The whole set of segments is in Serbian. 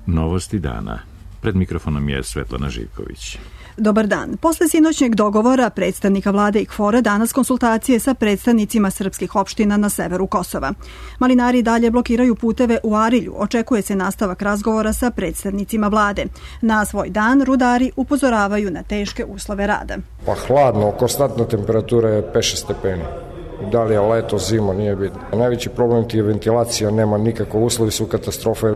Novosti dana. Pred mikrofonom je Svetlana Živković. Dobar dan. Posle sinoćnjeg dogovora predstavnika vlade i KFOR-a danas konsultacije sa predstavnicima srpskih opština na severu Kosova. Malinari dalje blokiraju puteve u Arilju. Očekuje se nastavak razgovora sa predstavnicima vlade. Na svoj dan rudari upozoravaju na teške uslove rada. Pa hladno, konstantna temperatura je 5-6 stepeni. Da li je leto, zima, nije bitno. Najveći problem ti je ventilacija, nema nikako, uslovi su katastrofe.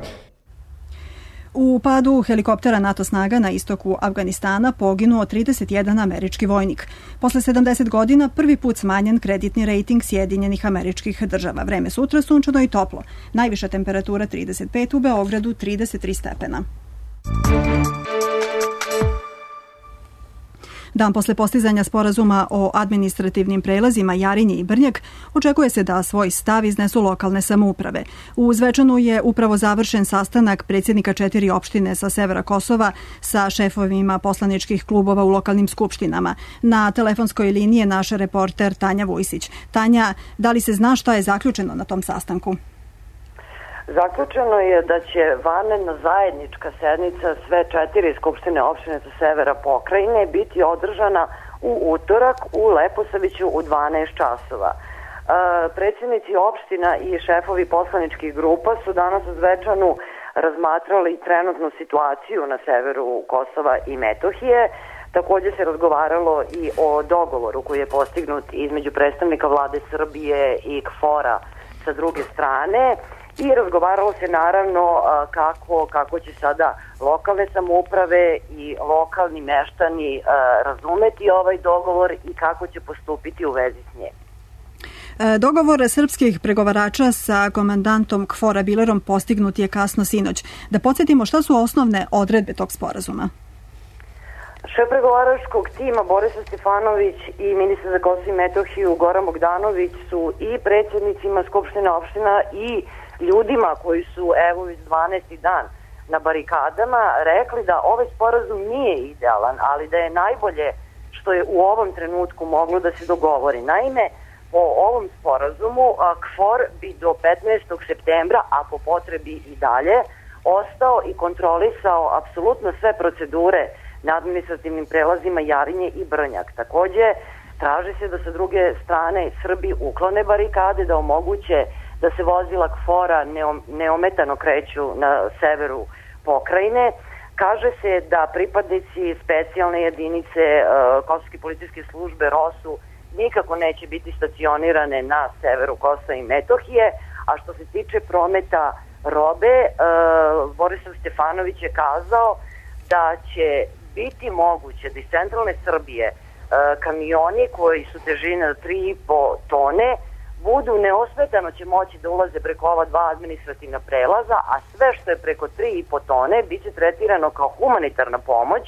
U padu helikoptera NATO snaga na istoku Afganistana poginuo 31 američki vojnik. Posle 70 godina prvi put smanjen kreditni rejting Sjedinjenih Američkih Država. Vreme sutra sunčano i toplo. Najviša temperatura 35, u Beogradu 33 stepena. Dan posle postizanja sporazuma o administrativnim prelazima Jarinje i Brnjak očekuje se da svoj stav iznesu lokalne samouprave. U Zvečanu je upravo završen sastanak predsjednika 4 opštine sa severa Kosova sa šefovima poslaničkih klubova u lokalnim skupštinama. Na telefonskoj liniji je naš reporter Tanja Vujsić. Tanja, da li se zna šta je zaključeno na tom sastanku? Zaključeno je da će vanredna zajednička sednica sve 4 skupštine opštine sa severa pokrajine biti održana u utorak u Leposaviću u 12 časova. Predsjednici opština i šefovi poslaničkih grupa su danas u Zvečanu razmatrali trenutnu situaciju na severu Kosova i Metohije. Također se razgovaralo i o dogovoru koji je postignut između predstavnika vlade Srbije i KFOR-a sa druge strane. I razgovaralo se naravno kako će sada lokalne samouprave i lokalni meštani razumeti ovaj dogovor i kako će postupiti u vezi s njim. Dogovor srpskih pregovarača sa komandantom KFOR-a Bilerom postignut je kasno sinoć. Da podsjetimo šta su osnovne odredbe tog sporazuma. Šef pregovaračkog tima Borislav Stefanović i ministar za Kosovo i Metohiju Goran Bogdanović su i predsjednicima Skupštine opština i ljudima koji su evo već 12. dan na barikadama rekli da ovaj sporazum nije idealan, ali da je najbolje što je u ovom trenutku moglo da se dogovori. Naime, po ovom sporazumu KFOR bi do 15. septembra, a po potrebi i dalje, ostao i kontrolisao apsolutno sve procedure na administrativnim prelazima Jarinje i Brnjak. Također, traži se da sa druge strane Srbi uklone barikade, da omoguće da se vozila KFOR-a neometano kreću na severu pokrajine. Kaže se da pripadnici specijalne jedinice Kosovske policijske službe ROSU nikako neće biti stacionirane na severu Kosova i Metohije, a što se tiče prometa robe, Borislav Stefanović je kazao da će biti moguće da iz centralne Srbije kamioni koji su težine 3,5 tone budu neosmetano će moći da ulaze preko ova 2 administrativna prelaza, a sve što je preko 3,5 tone bit će tretirano kao humanitarna pomoć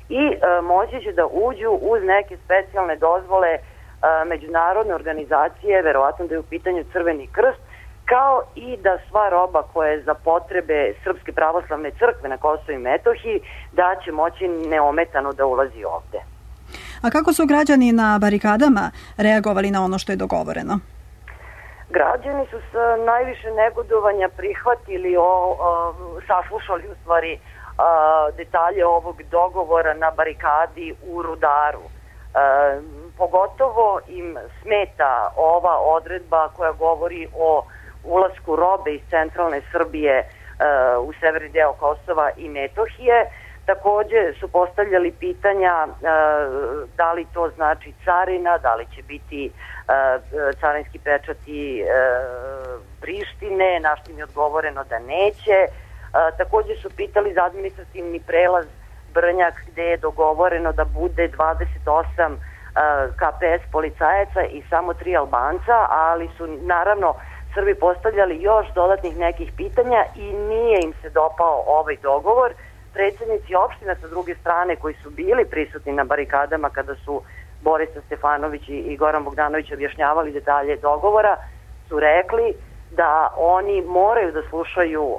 i moći će da uđu uz neke specijalne dozvole međunarodne organizacije, verovatno da je u pitanju Crveni krst, kao i da sva roba koja je za potrebe Srpske pravoslavne crkve na Kosovu i Metohiji da će moći neometano da ulazi ovde. A kako su građani na barikadama reagovali na ono što je dogovoreno? Građani su sa najviše negodovanja prihvatili, saslušali u stvari detalje ovog dogovora na barikadi u Rudaru. Pogotovo im smeta ova odredba koja govori o ulasku robe iz centralne Srbije u severni deo Kosova i Metohije. Također su postavljali pitanja da li to znači carina, da li će biti carinski pečati Prištine, na što im je odgovoreno da neće. Također su pitali za administrativni prelaz Brnjak gde je dogovoreno da bude 28 KPS policajaca i samo 3 Albanca, ali su naravno Srbi postavljali još dodatnih nekih pitanja i nije im se dopao ovaj dogovor. Predsjednici opština sa druge strane koji su bili prisutni na barikadama kada su Borislav Stefanović i Goran Bogdanović objašnjavali detalje dogovora su rekli da oni moraju da slušaju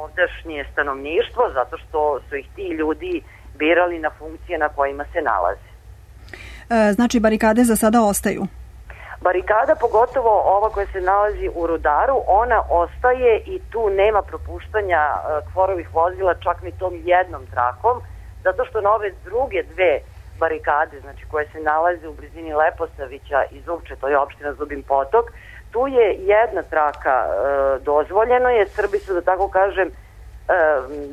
ovdašnje stanovništvo zato što su ih ti ljudi birali na funkcije na kojima se nalaze. Znači barikade za sada ostaju? Barikada, pogotovo ova koja se nalazi u Rudaru, ona ostaje i tu nema propuštanja KFOR-ovih vozila čak ni tom jednom trakom, zato što na ove druge dve barikade, znači koje se nalaze u blizini Leposavića i Zubče, to je opština Zubin Potok, tu je jedna traka dozvoljeno je, Srbi su, da tako kažem,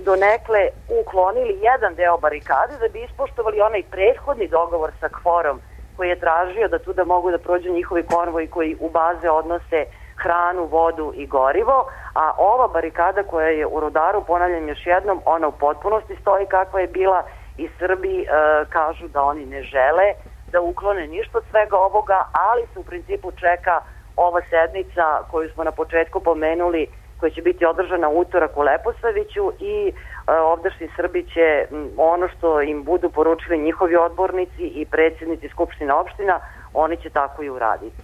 donekle uklonili jedan deo barikade da bi ispoštovali onaj prethodni dogovor sa KFOR-om koji je tražio da tu da mogu da prođu njihovi konvoji koji u baze odnose hranu, vodu i gorivo, a ova barikada koja je u Rudaru, ponavljam još jednom, ona u potpunosti stoji kakva je bila i Srbi kažu da oni ne žele da uklone ništa od svega ovoga, ali se u principu čeka ova sednica koju smo na početku pomenuli, koja će biti održana utorak u Leposaviću i ovdašnji Srbi će ono što im budu poručili njihovi odbornici i predsjednici Skupštine opština, oni će tako i uraditi.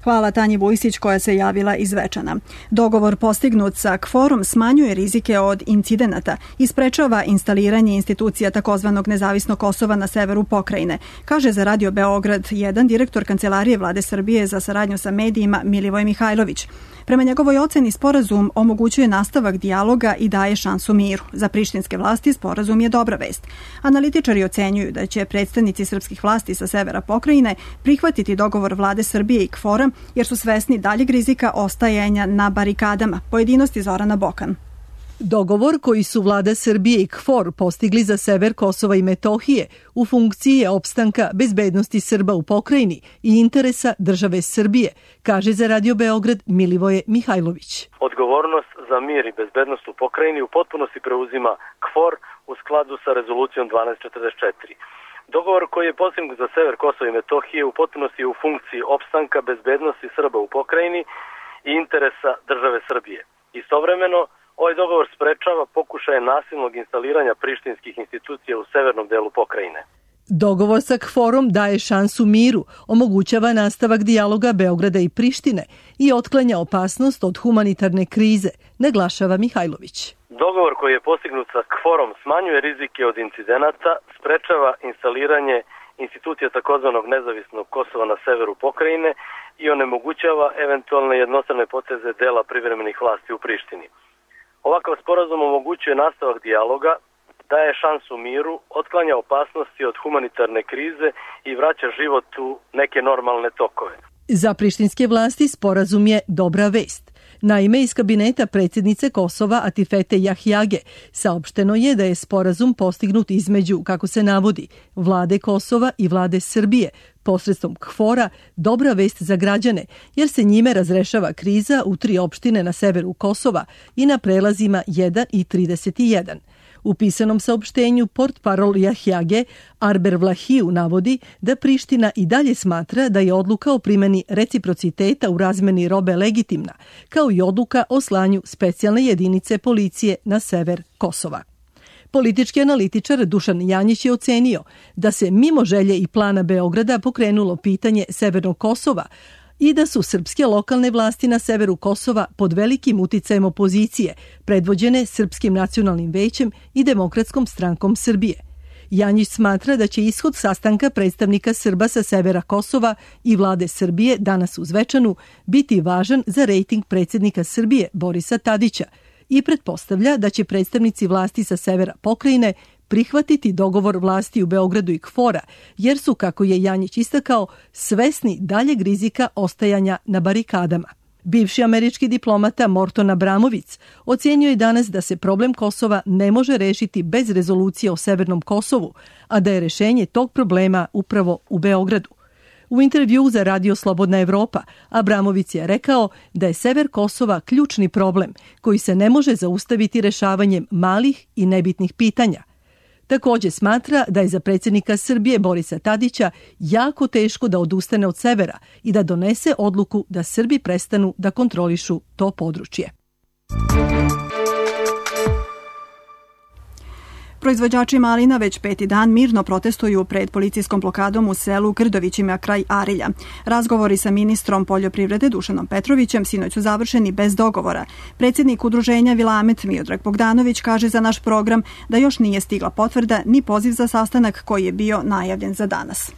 Hvala Tanji Vujsić koja se javila iz Zvečana. Dogovor postignut sa KFOR-om smanjuje rizike od incidenata i sprečava instaliranje institucija takozvanog nezavisnog Kosova na severu pokrajine, kaže za Radio Beograd 1 direktor Kancelarije Vlade Srbije za saradnju sa medijima Milivoj Mihajlović. Prema njegovoj oceni sporazum omogućuje nastavak dijaloga i daje šansu miru. Za prištinske vlasti sporazum je dobra vest. Analitičari ocenjuju da će predstavnici srpskih vlasti sa severa pokrajine prihvatiti dogovor Vlade Srbije i KFOR-a jer su svesni daljeg rizika ostajanja na barikadama. Pojedinosti Zorana Bokan. Dogovor koji su Vlada Srbije i KFOR postigli za sever Kosova i Metohije u funkciji je opstanka bezbednosti Srba u pokrajini i interesa države Srbije, kaže za Radio Beograd Milivoje Mihajlović. Odgovornost za mir i bezbednost u pokrajini u potpunosti preuzima KFOR u skladu sa rezolucijom 1244. Dogovor koji je postignut za sever Kosova i Metohije u potpunosti je u funkciji opstanka bezbednosti Srba u pokrajini i interesa države Srbije. Istovremeno, ovaj dogovor sprečava pokušaje nasilnog instaliranja prištinskih institucija u severnom delu pokrajine. Dogovor sa KFOR-om daje šansu miru, omogućava nastavak dijaloga Beograda i Prištine i otklanja opasnost od humanitarne krize, naglašava Mihajlović. Dogovor koji je postignut sa KFOR-om smanjuje rizike od incidenata, sprečava instaliranje institucija takozvanog nezavisnog Kosova na severu pokrajine i onemogućava eventualne jednostrane poteze dela privremenih vlasti u Prištini. Ovakav sporazum omogućuje nastavak dijaloga, daje šansu miru, otklanja opasnosti od humanitarne krize i vraća život u neke normalne tokove. Za prištinske vlasti sporazum je dobra vest. Naime, iz kabineta predsjednice Kosova Atifete Jahjage saopšteno je da je sporazum postignut između, kako se navodi, Vlade Kosova i Vlade Srbije, posredstvom KFOR-a, dobra vest za građane, jer se njime razrešava kriza u 3 opštine na severu Kosova i na prelazima 1 i 31. U pisanom saopštenju portparol Jahjage Arber Vlahiju navodi da Priština i dalje smatra da je odluka o primjeni reciprociteta u razmeni robe legitimna, kao i odluka o slanju specijalne jedinice policije na sever Kosova. Politički analitičar Dušan Janjić je ocenio da se mimo želje i plana Beograda pokrenulo pitanje severnog Kosova i da su srpske lokalne vlasti na severu Kosova pod velikim uticajem opozicije, predvođene Srpskim nacionalnim većem i Demokratskom strankom Srbije. Janjić smatra da će ishod sastanka predstavnika Srba sa severa Kosova i Vlade Srbije danas u Zvečanu biti važan za rejting predsjednika Srbije Borisa Tadića i pretpostavlja da će predstavnici vlasti sa severa pokrajine prihvatiti dogovor vlasti u Beogradu i KFOR-a, jer su, kako je Janjić istakao, svesni daljeg rizika ostajanja na barikadama. Bivši američki diplomata Morton Abramović ocjenio je danas da se problem Kosova ne može rešiti bez rezolucije o Severnom Kosovu, a da je rešenje tog problema upravo u Beogradu. U intervjuu za Radio Slobodna Evropa Abramović je rekao da je sever Kosova ključni problem koji se ne može zaustaviti rešavanjem malih i nebitnih pitanja. Također smatra da je za predsjednika Srbije Borisa Tadića jako teško da odustane od severa i da donese odluku da Srbi prestanu da kontrolišu to područje. Proizvođači malina već 5. dan mirno protestuju pred policijskom blokadom u selu Grdovićima kraj Arilja. Razgovori sa ministrom poljoprivrede Dušanom Petrovićem sinoć su završeni bez dogovora. Predsjednik udruženja Vilamet Miodrag Bogdanović kaže za naš program da još nije stigla potvrda ni poziv za sastanak koji je bio najavljen za danas.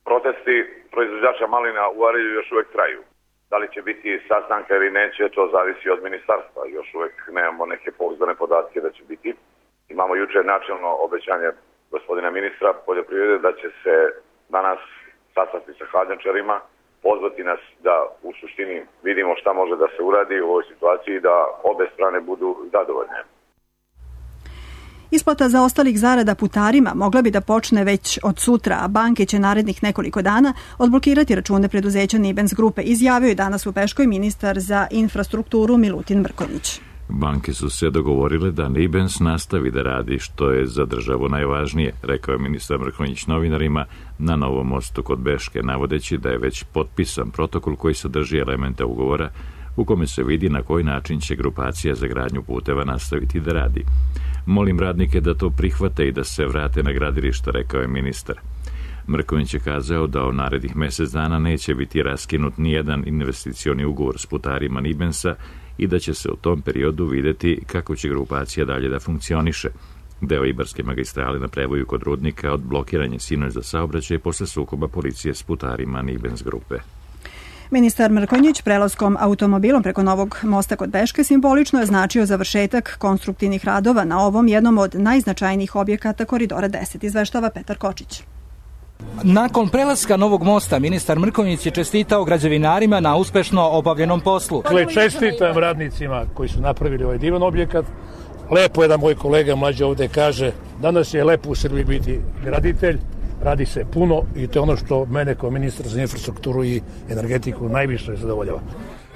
Protesti proizvođača malina u Arilju još uvek traju. Da li će biti sastanka ili neće, to zavisi od ministarstva. Još uvek nemamo neke pouzdane podatke da će biti. Imamo juče načelno obećanje gospodina ministra poljoprivrede da će se danas sastati sa hladnjačarima, pozvati nas da u suštini vidimo šta može da se uradi u ovoj situaciji i da obe strane budu zadovoljne. Isplata zaostalih zarada putarima mogla bi da počne već od sutra, a banke će narednih nekoliko dana odblokirati račune preduzeća Nibens grupe, izjavio je danas u Peškoj ministar za infrastrukturu Milutin Mrkonjić. Banke su se dogovorile da Nibens nastavi da radi, što je za državu najvažnije, rekao je ministar Mrkonjić novinarima na Novom mostu kod Beške, navodeći da je već potpisan protokol koji sadrži elemente ugovora u kome se vidi na koji način će grupacija za gradnju puteva nastaviti da radi. Molim radnike da to prihvate i da se vrate na gradilišta, rekao je ministar. Mrkonjić je kazao da u narednih mesec dana neće biti raskinut nijedan investicioni ugovor s putarima Nibensa i da će se u tom periodu videti kako će grupacija dalje da funkcioniše. Deo Ibarske magistrale na prevoju kod Rudnika odblokiran je sinoć za saobraćaj posle sukoba policije s putarima Nibens grupe. Ministar Mrkonjić prelaskom automobilom preko novog mosta kod Beške simbolično je značio završetak konstruktivnih radova na ovom jednom od najznačajnijih objekata Koridora 10, izveštava Petar Kočić. Nakon prelaska novog mosta, ministar Mrkonjić je čestitao građevinarima na uspešno obavljenom poslu. Čestitam radnicima koji su napravili ovaj divan objekat. Lepo jedan moj kolega mlađi ovde kaže, danas je lepo u Srbiji biti graditelj, radi se puno i to je ono što mene kao ministar za infrastrukturu i energetiku najviše zadovoljava.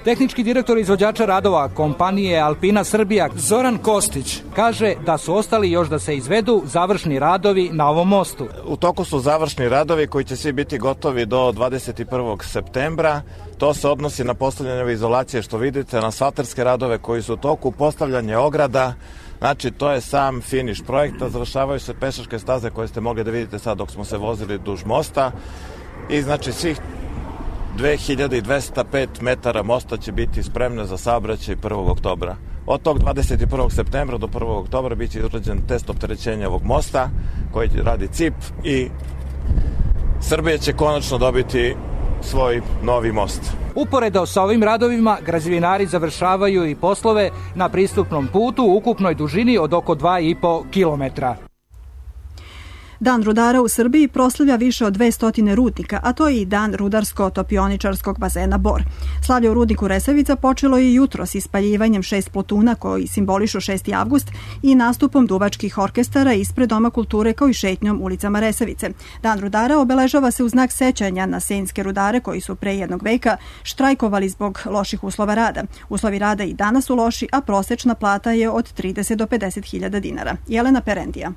Tehnički direktor izvođača radova kompanije Alpina Srbija Zoran Kostić kaže da su ostali još da se izvedu završni radovi na ovom mostu. U toku su završni radovi koji će svi biti gotovi do 21. septembra. To se odnosi na postavljanje izolacije što vidite, na asfalterske radove koji su u toku, postavljanje ograda. Znači, to je sam finiš projekta, završavaju se pešačke staze koje ste mogli da vidite sad dok smo se vozili duž mosta i znači svih 2205 metara mosta će biti spremne za saobraćaj 1. oktobra. Od tog 21. septembra do 1. oktobra biće izrađen test opterećenja ovog mosta koji radi CIP i Srbija će konačno dobiti svoj novi most. Uporedo sa ovim radovima, građevinari završavaju i poslove na pristupnom putu u ukupnoj dužini od oko 2,5 kilometra. Dan rudara u Srbiji proslavlja više od 200 rudnika, a to je i dan rudarsko-topioničarskog bazena Bor. Slavlje u rudniku Resavica počelo je jutro s ispaljivanjem 6 plotuna koji simbolišu 6. avgust i nastupom duvačkih orkestara ispred Doma kulture kao i šetnjom ulicama Resavice. Dan rudara obeležava se u znak sećanja na senjske rudare koji su pre jednog veka štrajkovali zbog loših uslova rada. Uslovi rada i danas su loši, a prosečna plata je od 30 do 50.000 dinara. Jelena Perendija.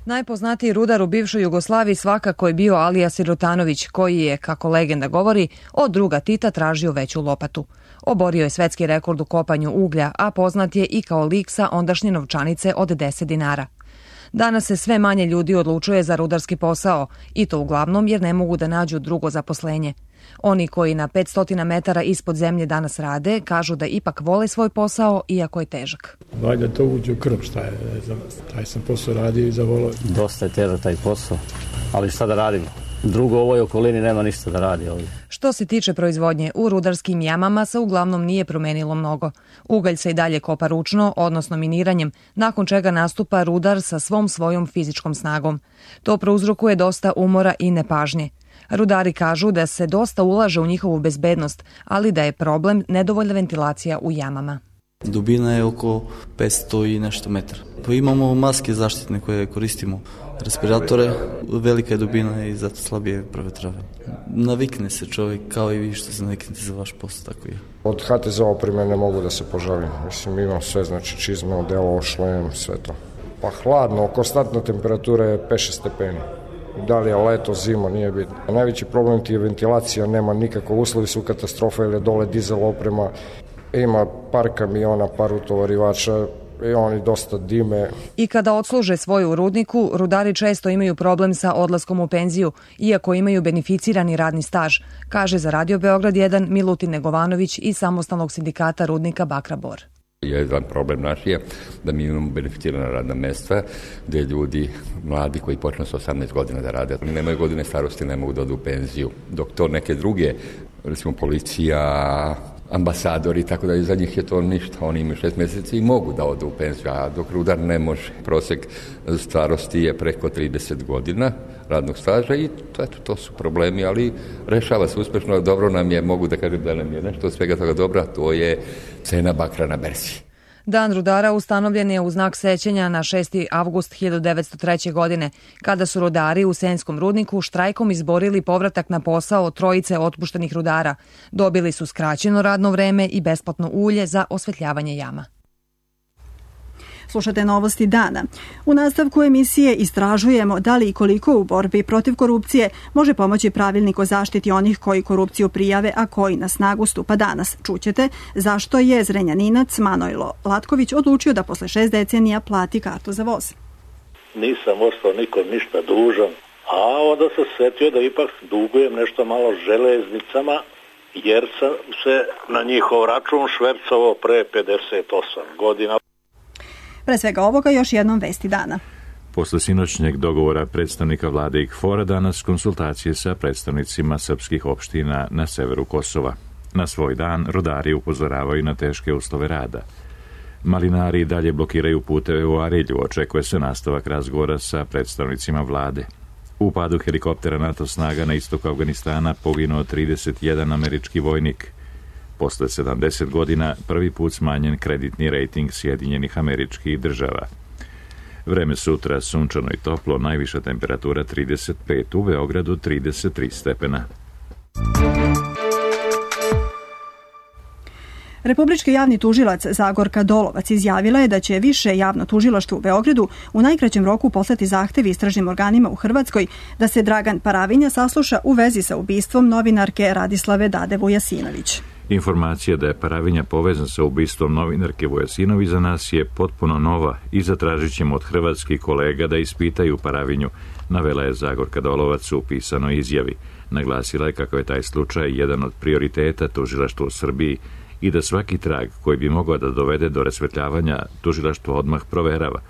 Najpoznatiji rudar u bivšoj Jugoslaviji svakako je bio Alija Sirotanović, koji je, kako legenda govori, od druga Tita tražio veću lopatu. Oborio je svetski rekord u kopanju uglja, a poznat je i kao lik sa ondašnje novčanice od 10 dinara. Danas se sve manje ljudi odlučuje za rudarski posao, i to uglavnom jer ne mogu da nađu drugo zaposlenje. Oni koji na 500 metara ispod zemlje danas rade, kažu da ipak vole svoj posao, iako je težak. Valjda to uđe u krv, šta je, taj sam posao radio i zavolao. Dosta je težak taj posao, ali šta da radimo? Drugo u ovoj okolini nema ništa da radi ovdje. Što se tiče proizvodnje, u rudarskim jamama se uglavnom nije promenilo mnogo. Ugalj se i dalje kopa ručno, odnosno miniranjem, nakon čega nastupa rudar sa svom svojom fizičkom snagom. To prouzrokuje dosta umora i nepažnje. Rudari kažu da se dosta ulaže u njihovu bezbednost, ali da je problem nedovoljna ventilacija u jamama. Dubina je oko 500 i nešto metara. Pa imamo maske zaštitne koje koristimo, respiratore, velika je dubina i zato slabije provetravanje. Navikne se čovjek kao i vi što se naviknete za vaš posao, tako je. Od HTZ opreme ne mogu da se požalim. Mislim, imam sve, znači čizme, odelo, šlem, sve to. Pa hladno, konstantna temperatura je 5-6 stepeni. Da li je leto, zima, nije bitno. Najveći problem ti je ventilacija, nema nikako, uslovi su katastrofa jer je dole dizel oprema, ima par kamiona, par utovarivača i oni dosta dime. I kada odsluže svoju u rudniku, rudari često imaju problem sa odlaskom u penziju, iako imaju beneficirani radni staž, kaže za Radio Beograd 1 Milutin Negovanović iz samostalnog sindikata rudnika Bakra Bor. Jedan problem naš je da mi imamo beneficirana radna mesta gdje ljudi mladi koji počnu sa 18 godina da rade. Oni nemaju godine starosti, ne mogu da odu u penziju. Dok to neke druge, recimo policija, ambasadori, tako da za njih je to ništa. Oni imaju 6 mjeseci i mogu da odu u penziju, a dok rudar ne može. Prosjek starosti je preko 30 godina radnog staža i to su problemi, ali rešava se uspešno. Dobro nam je, mogu da kažem da nam je nešto od svega toga dobra, to je cena bakra na berzi. Dan rudara ustanovljen je u znak sećanja na 6. avgust 1903. godine, kada su rudari u Senskom rudniku štrajkom izborili povratak na posao trojice otpuštenih rudara. Dobili su skraćeno radno vreme i besplatno ulje za osvetljavanje jama. Slušate novosti dana. U nastavku emisije istražujemo da li i koliko u borbi protiv korupcije može pomoći pravilnik o zaštiti onih koji korupciju prijave, a koji na snagu stupa danas. Čućete zašto je Zrenjaninac Manojlo Latković odlučio da posle 6 decenija plati kartu za voz. Nisam ostao nikom ništa dužan, a onda sam setio da ipak dugujem nešto malo železnicama, jer sam se na njihov račun švercovao pre 58 godina. Pre svega ovoga još jednom vesti dana. Posle sinoćnjeg dogovora predstavnika vlade i KFOR-a danas konsultacije sa predstavnicima srpskih opština na severu Kosova. Na svoj dan rudari upozoravaju na teške uslove rada. Malinari dalje blokiraju puteve u Arilju, očekuje se nastavak razgovora sa predstavnicima vlade. U padu helikoptera NATO snaga na istoku Afganistana poginuo 31 američki vojnik. Posle 70 godina prvi put smanjen kreditni rejting Sjedinjenih Američkih Država. Vreme sutra sunčano i toplo, najviša temperatura 35, u Beogradu 33 stepena. Republički javni tužilac Zagorka Dolovac izjavila je da će Više javno tužilaštvo u Beogradu u najkraćem roku poslati zahtev istražnim organima u Hrvatskoj da se Dragan Paravinja sasluša u vezi sa ubistvom novinarke Radislave Dade Vujasinović. Informacija da je Paravinja povezan sa ubistvom novinarke Vujasinović za nas je potpuno nova i zatražit ćemo od hrvatskih kolega da ispitaju Paravinju, navela je Zagorka Dolovac u pisanoj izjavi. Naglasila je kako je taj slučaj jedan od prioriteta tužilaštva u Srbiji i da svaki trag koji bi mogao da dovede do rasvetljavanja tužilaštvo odmah proverava.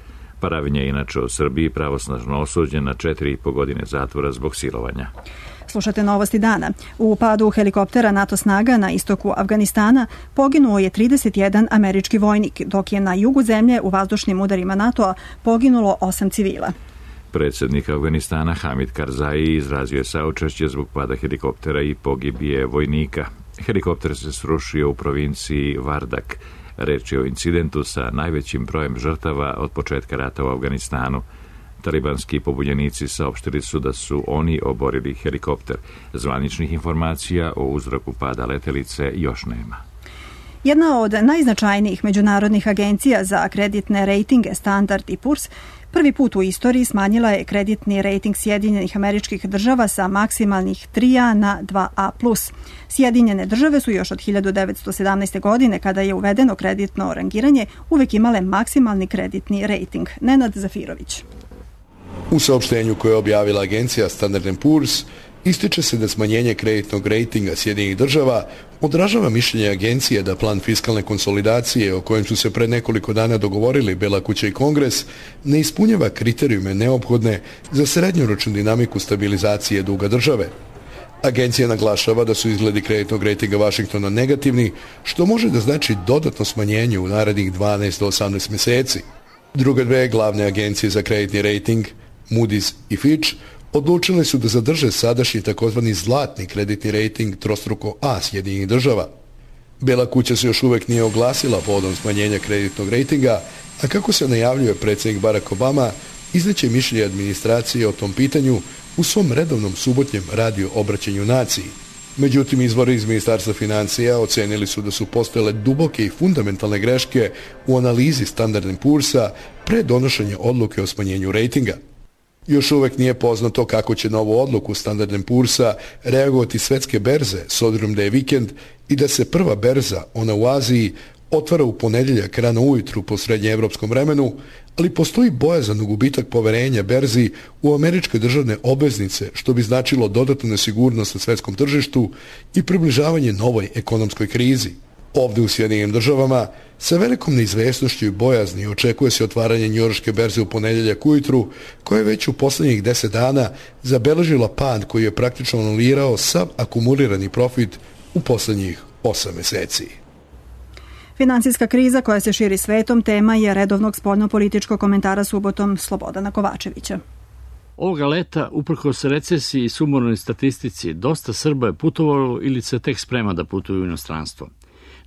Paravinja je inače u Srbiji pravosnažno osuđen na 4,5 godine zatvora zbog silovanja. Slušate novosti dana. U padu helikoptera NATO snaga na istoku Afganistana poginuo je 31 američki vojnik, dok je na jugu zemlje u vazdušnim udarima NATO-a poginulo 8 civila. Predsjednik Afganistana Hamid Karzai izrazio je saučešće zbog pada helikoptera i pogibije vojnika. Helikopter se srušio u provinciji Vardak. Reč je o incidentu sa najvećim brojem žrtava od početka rata u Afganistanu. Talibanski pobunjenici saopštili su da su oni oborili helikopter. Zvaničnih informacija o uzroku pada letelice još nema. Jedna od najznačajnijih međunarodnih agencija za kreditne rejtinge Standard & Poor's prvi put u istoriji smanjila je kreditni rejting Sjedinjenih Američkih Država sa maksimalnih 3A na 2A+. Sjedinjene države su još od 1917. godine, kada je uvedeno kreditno rangiranje, uvek imale maksimalni kreditni rejting. Nenad Zafirović. U saopštenju koje je objavila agencija Standard & Poor's ističe se da smanjenje kreditnog rejtinga Sjedinjenih Država odražava mišljenje agencije da plan fiskalne konsolidacije o kojem su se pred nekoliko dana dogovorili Bela kuća i Kongres ne ispunjava kriterijume neophodne za srednjoročnu dinamiku stabilizacije duga države. Agencija naglašava da su izgledi kreditnog rejtinga Vašingtona negativni, što može da znači dodatno smanjenje u narednih 12 do 18 mjeseci. Druge dve glavne agencije za kreditni rejting, Moody's i Fitch, odlučile su da zadrže sadašnji takozvani zlatni kreditni rejting trostruko A Sjedinjenih Država. Bela kuća se još uvek nije oglasila povodom smanjenja kreditnog rejtinga, a kako se najavljuje predsjednik Barack Obama, izneće mišljenje administracije o tom pitanju u svom redovnom subotnjem radio obraćanju naciji. Međutim, izvori iz Ministarstva financija ocenili su da su postojale duboke i fundamentalne greške u analizi Standard & Poor'sa pre donošenja odluke o smanjenju rejtinga. Još uvek nije poznato kako će na ovu odluku Standard & Poor'sa reagovati svetske berze, s obzirom da je vikend i da se prva berza, ona u Aziji, otvara u ponedjeljak rano ujutru po srednjeevropskom vremenu, ali postoji bojazan gubitak poverenja berzi u američke državne obveznice, što bi značilo dodatnu nesigurnost na svetskom tržištu i približavanje novoj ekonomskoj krizi. Ovdje u Sjedinjenim Državama Sa velikom neizvesnošću i bojazni očekuje se otvaranje njujorške berze u ponedeljak ujutru, koja je već u posljednjih 10 dana zabeležila pad koji je praktično anulirao sav akumulirani profit u posljednjih 8 meseci. Finansijska kriza koja se širi svetom tema je redovnog spoljnopolitičkog komentara subotom Slobodana Kovačevića. Ovoga leta, uprkos recesiji i sumornoj statistici, dosta Srba je putovalo ili se tek sprema da putuju u inostranstvo.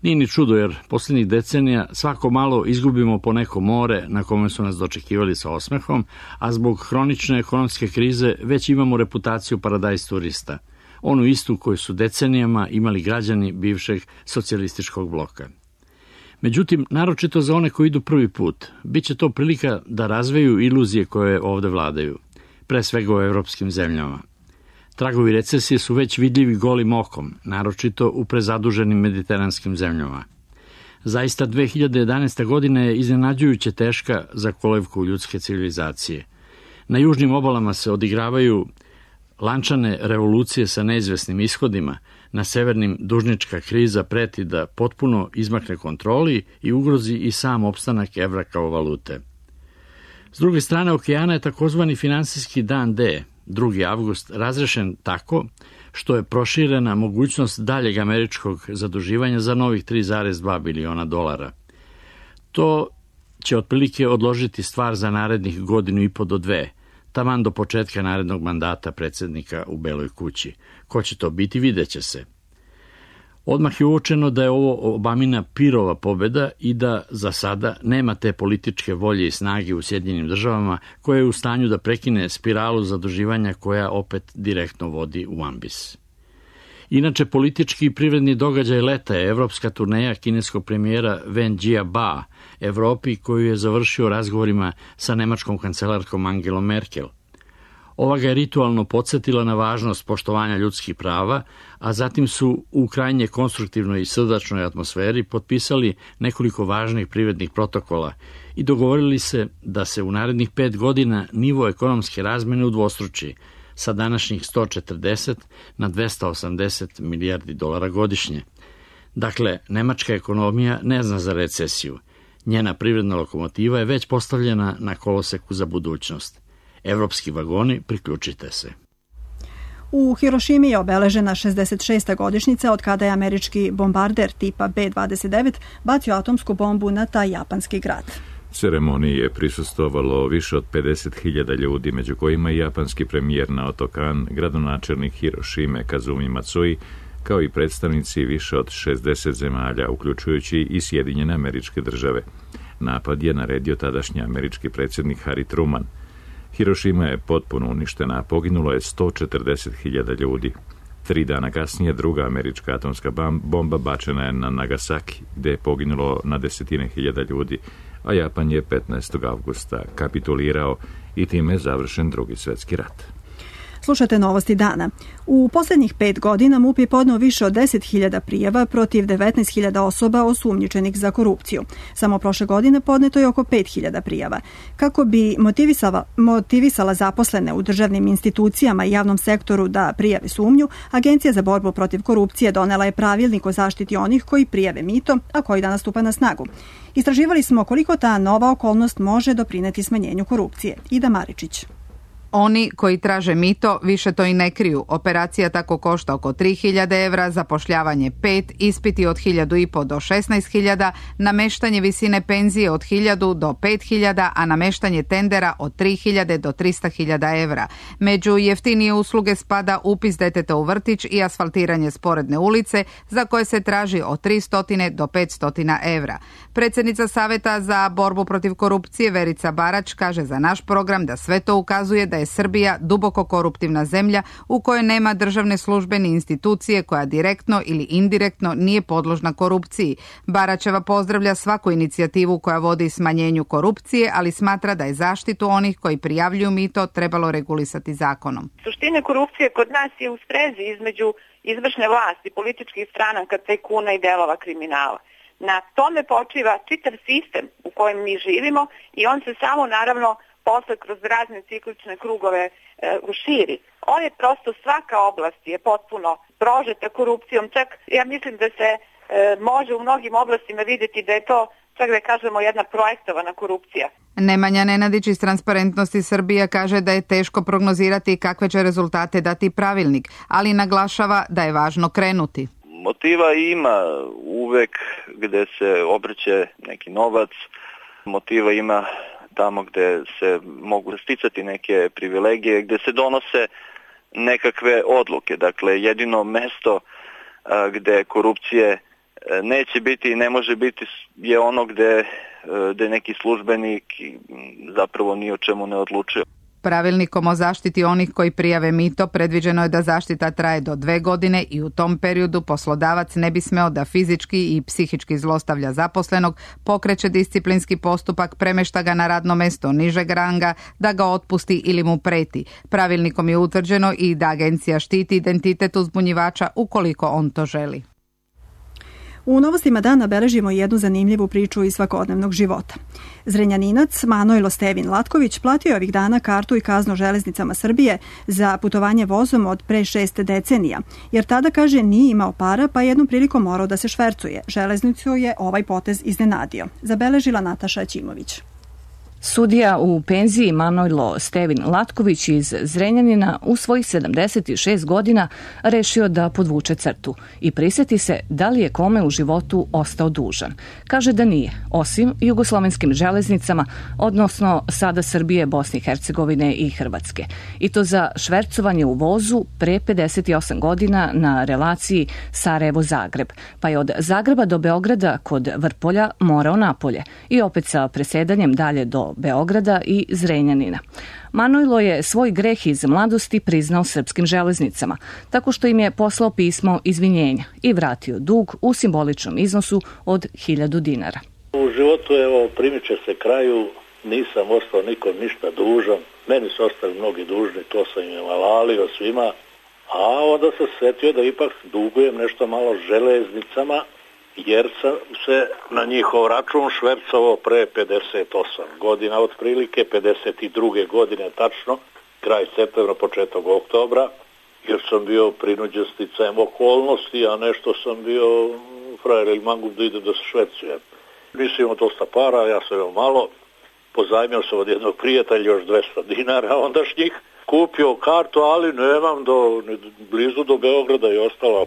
Nije ni čudo jer posljednjih decenija svako malo izgubimo po neko more na kome su nas dočekivali sa osmehom, a zbog hronične ekonomske krize već imamo reputaciju paradajz turista, onu istu koju su decenijama imali građani bivšeg socijalističkog bloka. Međutim, naročito za one koji idu prvi put, bit će to prilika da razveju iluzije koje ovde vladaju, pre svega u evropskim zemljama. Tragovi recesije su već vidljivi golim okom, naročito u prezaduženim mediteranskim zemljama. Zaista 2011. godina je iznenađujuće teška za kolevku ljudske civilizacije. Na južnim obalama se odigravaju lančane revolucije sa neizvesnim ishodima, na severnim dužnička kriza preti da potpuno izmakne kontroli i ugrozi i sam opstanak evra kao valute. S druge strane okeana je takozvani finansijski dan D, 2. avgust, razrešen tako što je proširena mogućnost daljeg američkog zaduživanja za novih 3,2 biliona dolara. To će otprilike odložiti stvar za narednih 1,5 do 2, taman do početka narednog mandata predsjednika u Beloj kući. Ko će to biti, videće se. Odmah je uočeno da je ovo Obamina pirova pobjeda i da za sada nema te političke volje i snage u Sjedinjenim državama koja je u stanju da prekine spiralu zaduživanja koja opet direktno vodi u ambis. Inače, politički i privredni događaj leta je evropska turneja kineskog premijera Wen Jiabao Evropi koju je završio razgovorima sa nemačkom kancelarkom Angelom Merkel. Ova ga je ritualno podsjetila na važnost poštovanja ljudskih prava, a zatim su u krajnje konstruktivnoj i srdačnoj atmosferi potpisali nekoliko važnih privrednih protokola i dogovorili se da se u narednih 5 godina nivo ekonomske razmene udvostruči sa današnjih 140 na 280 milijardi dolara godišnje. Dakle, nemačka ekonomija ne zna za recesiju. Njena privredna lokomotiva je već postavljena na koloseku za budućnost. Evropski vagoni, priključite se. U Hirošimi je obeležena 66. godišnjica od kada je američki bombarder tipa B-29 bacio atomsku bombu na taj japanski grad. Ceremoniji je prisustvovalo više od 50.000 ljudi, među kojima i japanski premijer Naoto Kan, gradonačelnik Hirošime Kazumi Matsui, kao i predstavnici više od 60 zemalja, uključujući i Sjedinjene Američke Države. Napad je naredio tadašnji američki predsjednik Harry Truman. Hirošima je potpuno uništena, poginulo je 140.000 ljudi. 3 dana kasnije druga američka atomska bomba bačena je na Nagasaki, gdje je poginulo na desetine hiljada ljudi, a Japan je 15. avgusta kapitulirao i time je završen Drugi svjetski rat. Slušate novosti dana. U posljednjih 5 godina MUP je podneo više od 10.000 prijava protiv 19.000 osoba osumnjičenih za korupciju. Samo prošle godine podneto je oko 5.000 prijava. Kako bi motivisala zaposlene u državnim institucijama i javnom sektoru da prijave sumnju, Agencija za borbu protiv korupcije donela je pravilnik o zaštiti onih koji prijave mito, a koji danas stupa na snagu. Istraživali smo koliko ta nova okolnost može doprineti smanjenju korupcije. Ida Maričić. Oni koji traže mito više to i ne kriju. Operacija tako košta oko 3.000 evra, zapošljavanje 5, ispiti od 1.500 do 16.000, nameštanje visine penzije od 1.000 do 5.000, a nameštanje tendera od 3.000 do 300.000 evra. Među jeftinije usluge spada upis deteta u vrtić i asfaltiranje sporedne ulice, za koje se traži od 300 do 500 evra. Predsjednica Saveta za borbu protiv korupcije Verica Barać kaže za naš program da sve to ukazuje da je Srbija duboko koruptivna zemlja u kojoj nema državne službe ni institucije koja direktno ili indirektno nije podložna korupciji. Baraćeva pozdravlja svaku inicijativu koja vodi smanjenju korupcije, ali smatra da je zaštitu onih koji prijavljuju mito trebalo regulisati zakonom. Suština korupcije kod nas je u sprezi između izvršne vlasti, političkih stranaka, tajkuna i delova kriminala. Na tome počiva čitav sistem u kojem mi živimo i on se samo naravno posle kroz razne ciklične krugove širi. On je prosto, svaka oblast je potpuno prožeta korupcijom, čak ja mislim da se može u mnogim oblastima vidjeti da je to čak da kažemo jedna projektovana korupcija. Nemanja Nenadić iz Transparentnosti Srbija kaže da je teško prognozirati kakve će rezultate dati pravilnik, ali naglašava da je važno krenuti. Motiva ima uvek gde se obrće neki novac, motiva ima tamo gde se mogu sticati neke privilegije, gde se donose nekakve odluke. Dakle, jedino mesto gde korupcije neće biti i ne može biti je ono gde neki službenik zapravo ni o čemu ne odlučuje. Pravilnikom o zaštiti onih koji prijave mito predviđeno je da zaštita traje do 2 godine i u tom periodu poslodavac ne bi smeo da fizički i psihički zlostavlja zaposlenog, pokreće disciplinski postupak, premešta ga na radno mesto nižeg ranga, da ga otpusti ili mu preti. Pravilnikom je utvrđeno i da agencija štiti identitet uzbunjivača ukoliko on to želi. U novostima dana beležimo jednu zanimljivu priču iz svakodnevnog života. Zrenjaninac Manojlo Stevin Latković platio je ovih dana kartu i kaznu železnicama Srbije za putovanje vozom od pre 6 decenija, jer tada, kaže, nije imao para pa jednom prilikom morao da se švercuje. Železnicu je ovaj potez iznenadio. Zabeležila Nataša Ćimović. Sudija u penziji Manojlo Stevin Latković iz Zrenjanina u svojih 76 godina rešio da podvuče crtu i prisjeti se da li je kome u životu ostao dužan. Kaže da nije, osim jugoslovenskim železnicama, odnosno sada Srbije, Bosne i Hercegovine i Hrvatske. I to za švercovanje u vozu pre 58 godina na relaciji Sarajevo-Zagreb, pa je od Zagreba do Beograda kod Vrpolja morao napolje i opet sa presedanjem dalje do Beograda i Zrenjanina. Manojlo je svoj greh iz mladosti priznao srpskim železnicama, tako što im je poslao pismo izvinjenja i vratio dug u simboličnom iznosu od 1000 dinara. U životu, evo, primiče se kraju, nisam ostao nikom ništa dužan, meni su ostali mnogi dužni, to sam im navalio svima, a onda sam setio da ipak dugujem nešto malo železnicama, jer sam se na njihov račun švercovao pre 58 godina, otprilike 52. godine tačno, kraj septembra, početak oktobra, jer sam bio prinuđen sticajem okolnosti, a nešto sam bio frajer ili mangup da ide da se švercujem. Nisam imao dosta para, ja sam imao malo, pozajmio sam od jednog prijatelja još 200 dinara ondašnjih, kupio kartu, ali nemam blizu do Beograda i ostalo.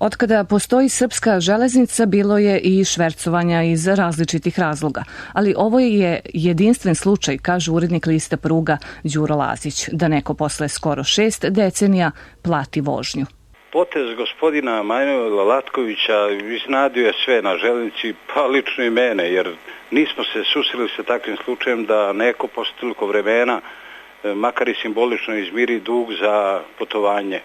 Otkada postoji srpska železnica, bilo je i švercovanja iz različitih razloga, ali ovo je jedinstven slučaj, kaže urednik lista Pruga Đuro Lazić, da neko posle skoro 6 decenija plati vožnju. Potez gospodina Manojla Latkovića iznenadio je sve na železnici, pa lično i mene, jer nismo se susreli sa takvim slučajem da neko posle toliko vremena, makar i simbolično, izmiri dug za putovanje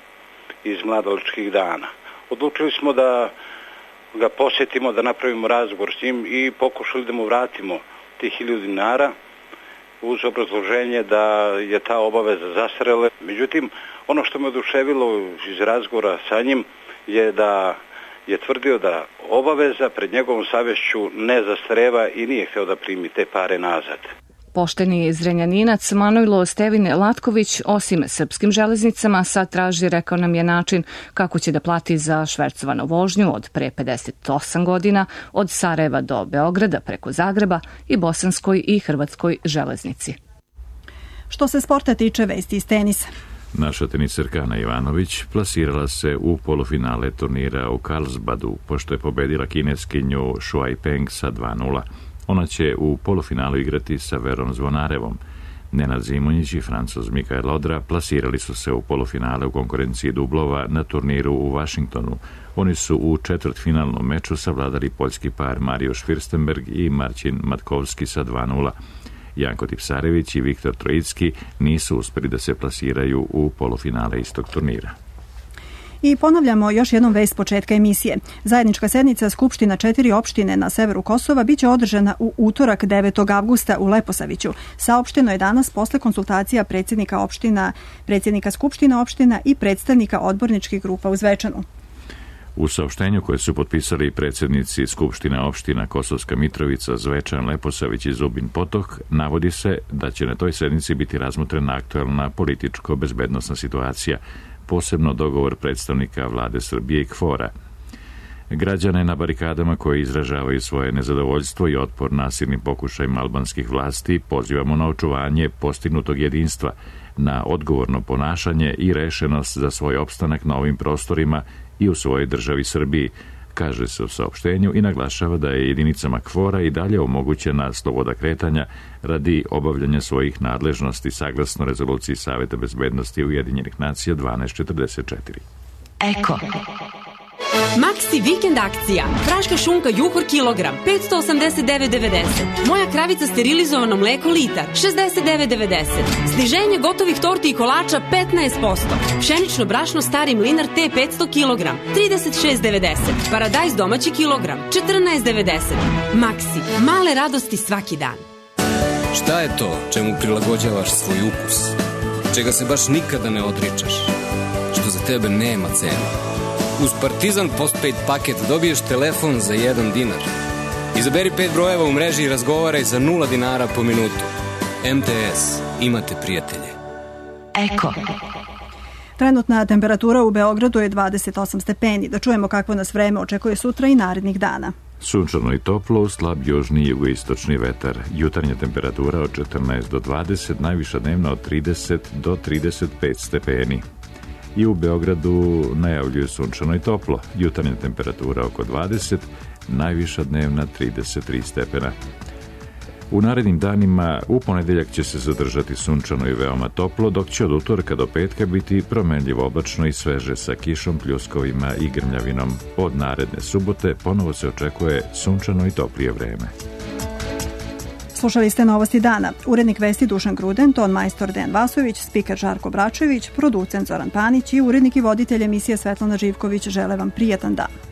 iz mladalačkih dana. Odlučili smo da ga posjetimo, da napravimo razgovor s njim i pokušali da mu vratimo tih 1000 dinara uz obrazloženje da je ta obaveza zastarela. Međutim, ono što me oduševilo iz razgovora sa njim je da je tvrdio da obaveza pred njegovom savješću ne zastareva i nije hteo da primi te pare nazad. Pošteni Zrenjaninac Manojlo Stevin Latković, osim srpskim železnicama, sad traži, rekao nam je, način kako će da plati za švercovanu vožnju od pre 58 godina od Sarajeva do Beograda preko Zagreba i bosanskoj i hrvatskoj železnici. Što se sporta tiče, vesti iz tenisa. Naša teniserka Ana Ivanović plasirala se u polufinale turnira u Karlsbadu, pošto je pobedila kineskinju Shuai Peng sa 2:0. Ona će u polufinalu igrati sa Verom Zvonarevom. Nenad Zimonjić i Francuz Mikael Odra plasirali su se u polufinale u konkurenciji dublova na turniru u Vašingtonu. Oni su u četvrtfinalnom meču savladali poljski par Mariusz Fürstenberg i Marcin Matkovski sa 2:0. Janko Tipsarević i Viktor Trojicki nisu uspeli da se plasiraju u polufinale istog turnira. I ponavljamo još jednom vest početka emisije. Zajednička sednica Skupština 4 opštine na severu Kosova biće održana u utorak 9. avgusta u Leposaviću. Saopšteno je danas posle konsultacija predsjednika opština, predsjednika Skupština opština i predstavnika odborničkih grupa u Zvečanu. U saopštenju koje su potpisali predsjednici Skupština opština Kosovska Mitrovica, Zvečan, Leposavić i Zubin Potok, navodi se da će na toj sednici biti razmotrena aktualna političko-bezbednosna situacija, posebno dogovor predstavnika vlade Srbije i KFOR-a. Građane na barikadama koji izražavaju svoje nezadovoljstvo i otpor nasilnim pokušajima albanskih vlasti pozivamo na očuvanje postignutog jedinstva, na odgovorno ponašanje i rešenost za svoj opstanak na ovim prostorima i u svojoj državi Srbiji, kaže se u saopštenju i naglašava da je jedinicama KFOR-a i dalje omogućena sloboda kretanja radi obavljanja svojih nadležnosti saglasno rezoluciji Saveta bezbednosti Ujedinjenih nacija 1244. Eko. Maxi vikend akcija. Praška šunka Juhor kilogram 589,90. Moja kravica sterilizovano mleko litar 69,90. Sniženje gotovih torti i kolača 15%. Pšenično brašno stari mlinar T 500 kilogram 36,90. Paradajz domaći kilogram 14,90. Maxi. Male radosti svaki dan. Šta je to čemu prilagođavaš svoj ukus? Čega se baš nikada ne odričaš? Što za tebe nema cenu? Uz Partizan Postpaid paket dobiješ telefon za 1 dinar. Izaberi 5 brojeva u mreži i razgovaraj za 0 dinara po minutu. MTS. Imate prijatelje. Eko. Trenutna temperatura u Beogradu je 28 stepeni. Da čujemo kakvo nas vreme očekuje sutra i narednih dana. Sunčano i toplo, slab južni i jugoistočni vetar. Jutarnja temperatura od 14 do 20, najviša dnevna od 30 do 35 stepeni. I u Beogradu najavljuju sunčano i toplo. Jutarnja temperatura oko 20, najviša dnevna 33 stepena. U narednim danima u ponedeljak će se zadržati sunčano i veoma toplo, dok će od utorka do petka biti promenljivo oblačno i sveže sa kišom, pljuskovima i grmljavinom. Od naredne subote ponovo se očekuje sunčano i toplije vreme. Slušali ste Novosti dana. Urednik vesti Dušan Gruden, ton majstor Dejan Vasović, spiker Žarko Bračević, producent Zoran Panić i urednik i voditelj emisije Svetlana Živković žele vam prijatan dan.